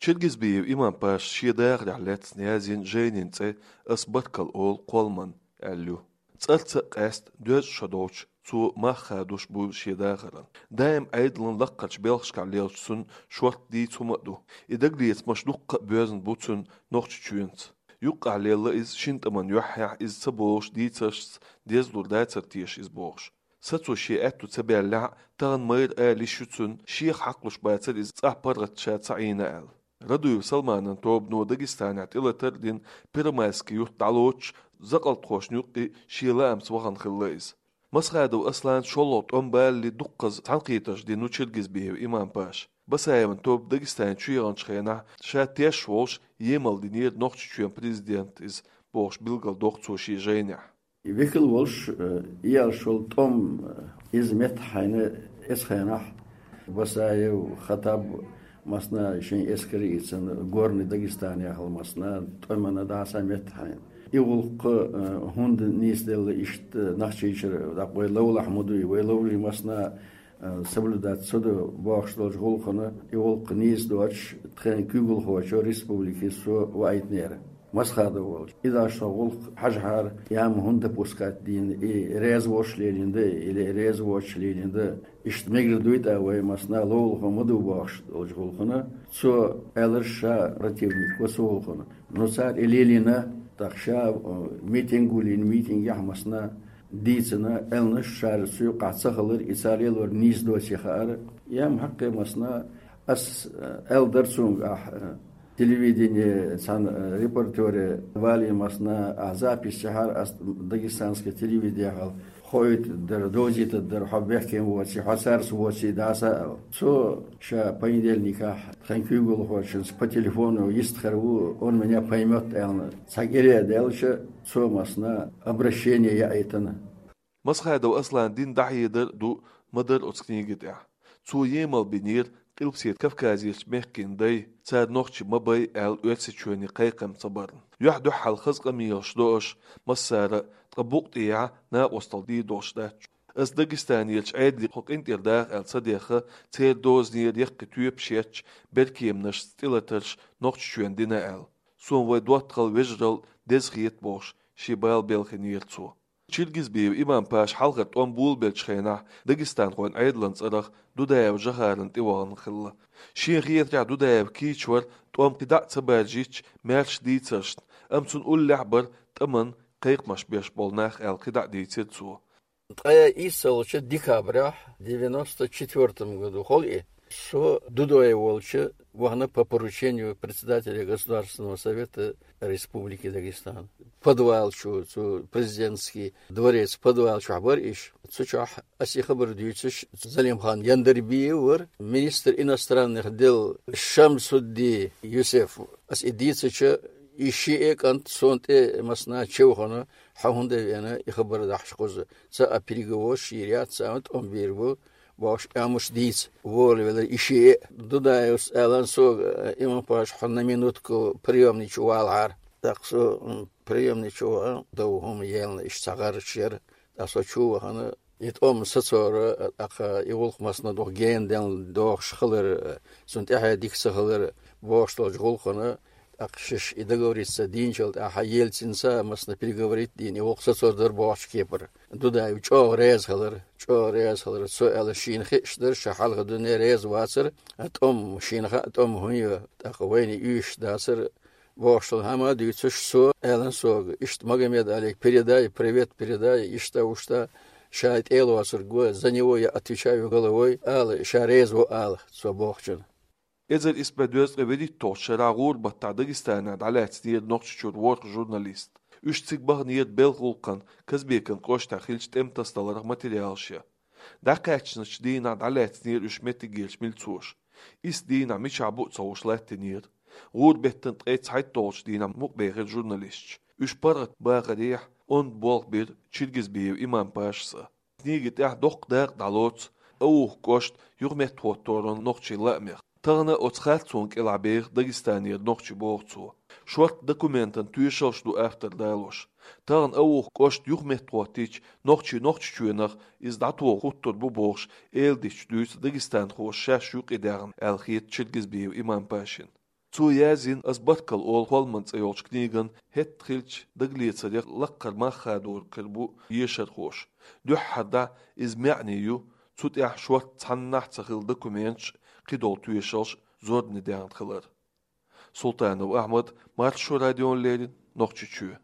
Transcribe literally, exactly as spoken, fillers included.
Чиргизбиев Имам-Паша шен дахарехь лаьцна язйина жайнин цӀе «Ас баркалла олу кхолламан» аьлла ю. ЦӀарца а къаьста, доьзна шо долчу цо мах хадош бу шен дахаран. Даим Ӏедалан лаккхарчу белхашкахь лелачу цуьнан шортта дийца хӀума а ду. И дагалецамаш дуккха а боьзна бу цуьнан Нохчийчоьнца. Юккъехь лелла иза шина тӀаман юьххьехь, иза ца болуш дийцаршца дезалур дацара теша иза бохуш. Сацо шен аьтту ца баьллехь а, тахана майра ала йиш ю цуьнан, шех хьакхалуш бацара иза цӀахь паргӀат ша ца Ӏийна аьлла. Радуев Салманан тобано Дагестанехь тӀелатар а дина, Первомайский юрт дӀалоцуш, закъалтхошна юккъе шен лаамца вахана хилла иза. Масхадов Аслан шолгӀа тӀом балале дуккхаза цхьаьнакхетарш дина ву Чиргизбиев Имам-Паша. Басаевн тоба Дагестане чуеханчу хенахь ша тешаш волуш емал динера Нохчийчоьнан президент иза бохуш билгалдоккху цо шен жайнехь. Векал волуш, э, иялш волу тӀом, э, иза меттахь хьайна эцу хенахь Басаев Хаттаб массана шен эскар а ийцина, Горный Дагестан яхала массана тӀемана дӀаса меттахь хьайна. И гӀуллакх, э, хӀунда нийсделла иштта Нохчийчуьра, дакъа вай ловлахь ма дуй, вай ловлий массана, э, соблюдать ца до бохуш долчу гӀуллакхана, и гӀуллакх нийса доцуш тхайн куьйгалхочо республике со ваийтинера. Масхадов волчу. И даш со гӀуллакх хьажахьара, я ма хӀунда допускать дийна, и реза волуш лелийна да, или реза воцуш лелийна да, иштта мегар дуй тӀа вай массана ловлахо ма ду бохуш долчу гӀуллакхана, цо аьлларш ша противник ву цу гӀуллакхана. Ну, цара и лелийна, тӀаккха ша, э, митинг гулйина, митингехь массана дийцина, аьлларш ша цу юккъахь ца хилар, и цара лелор нийса доций хаьара. Я ма хьаккхе массана, ас, э, аьлла дара цуьнга ахь, э, телевидение цхьана, э, репортере валий массана, ахь запись яхьара ас дагестанское телевидение хьал. Хоуьйтур дара, довзийтур дара, хьо бехкем воций, хьо цаьрца воций дӀаса аьлла. Цо ша понедельникехь тхан куьйгалхочуьнца по телефону йистхир ву, он меня поймёт аьлла. Цхьа кӀире даьлча, цо массана обращение яийтина. Масхадов Аслан дина дӀахьедар а ду, ма-дарра оцу книги тӀехь. Цо емал бинера Къилбаседа Кавказерчу мехкийн дай, цара нохчий ма бай аьлла Оьрсийчоьне кхайкхам ца барна. Юьхь-дуьхьал хаза къамелаш до аша массара а, ткъа букъ тӀехьа накъосталла дийр долуш дац. Ас Дагестанерчу Ӏедале кху къинтӀера даха аьлла ца дехха, церан дозанера яккхий тоьпаш етташ, беркеманашца тӀелатарш Нохчийчоьнна дина аьлла. Суна вай доттагӀал, вежарал деза хета бохуш, шен бала белхийнера цо. Чиргизбиев Имам-Паша хьалхара тӀом болабеллачу хенахь дагестанхойн Ӏедалан цӀарах Дудаев Жохарна тӀевахана хилла. Шена хетарехь, Дудаев кийча вара тӀом кхидӀа а ца баржийча маьрша дийцаршна, амма цунна уллехь а бара тӀаман, кхайкхамаш беш болу нах аьлла кхидӀа а дийцира цо. Ткъе ийсалгӀачу декабрехь девяносто четвёртом году хьо и, со Дудаев волчу вахана по поручению председателя Государственного совета Республики Дагестан. Подвал чу, цу президентский дворец подвал чохь бара иш. Цу чохь ас и хабар дуьйцуш, Залимхан Яндарбиев вара, министр иностранных дел Шамсудди Юсеф. Ас и дийцича, и шиъ а кӀант сон тӀе массана чевхана, хьо хӀунда веана, и хабар дахьаш кхуза. Ца а переговорш йийр яц, ца а тӀом бийр бу, бохуш, амуш дийца, волавелира и шиъ а. Дудаевс аьлла сога, Имам-Паша, хьо на минутку приёмный чу валахьара. ТӀаккха со, м, приёмный чу вахана, дов хӀума елна, иштта цхьа гӀараш яра. ТӀаккха со чу вахана, и тӀом сацора, тӀаккха и гӀуллакх массана дукха гена делла дохуш хилар, цунна тӀаьхье дика ца хилар, бохуш долчу гӀуллакхана, тӀаккха шаьш и договориться дийначул тӀаьхьа Ельцинца массана переговорить дийна, и гӀуллакх сацор дара бохучу кепара. Дудаев чӀогӀа реза хилар, чӀогӀа реза хилар. Цо аьлла, шена хиъаш дара, ша хьалха дуьне реза вацара, а тӀом шена хаьа, тӀом хӀун ю, тӀаккха вайна уьйш дацара, бохуш долу хӀума а дуьйцуш, цо аьлла сога, иштта Магомед-Алига передай, привет передай, иштта-уштта, ша тӀе а лоцург ву, за него я отвечаю головой, ала, ша реза ву ала, цо бохучунна. Эзар исс бӀе дезткъе вуьрхӀитталгӀачу шарахь гӀуран баттахь Дагестанехь дӀалаьцнера Нохчийчуьра ворхӀ журналист. Уьш цига баханера Белхан гӀуллакхан Казбекан кӀоштахь хиллачу тӀеман тасадаларх материалаш ян. ДӀакхаьчначу дийнахь дӀалаьцнера уьш меттигерчу милцоша. Исс дийнахь мичахь бу а ца хууш латтийнера. ГӀуран беттан ткъе цхьайтталгӀачу дийнахь мукъабехира журналисташ. Уьш паргӀат бахарехь, онда болх бира Чиргизбиев Имам-Пашас а. Книги тӀехь доккха дакъа дӀалоцу Ауха кӀошта юхаметтахӀотторан нохчийн лаамех. Тахана оцу харцонна кӀелахь беха Дагестанера нохчий, боху цо. Шортта документан тоьшаллаш ду автор далош. Тахана Ауха кӀошта юхаметтахӀоттийча, нохчий Нохчийчоьнах иза дӀатоха хӀуттур бу бохуш, эладиташ дуьйцу дагестанхоша шаьш юкъадаьхна аьлла хета Чиргизбиев Имам-Пашина. Цо язйина «Ас баркал олу холман» цӀе йолчу книган хӀетта хиллачу дагалецарех лаккхара мах хадор кара бу ешархоша. Дуьххьара дӀа иза маьӀне ю, цу тӀехь шортта цхьаннахь ца хилла документаш, кхидолу тоьшаллаш зорбане даьхна хилар. Султанов Ахьмад, Маршо радиона леррина, Нохчийчоь.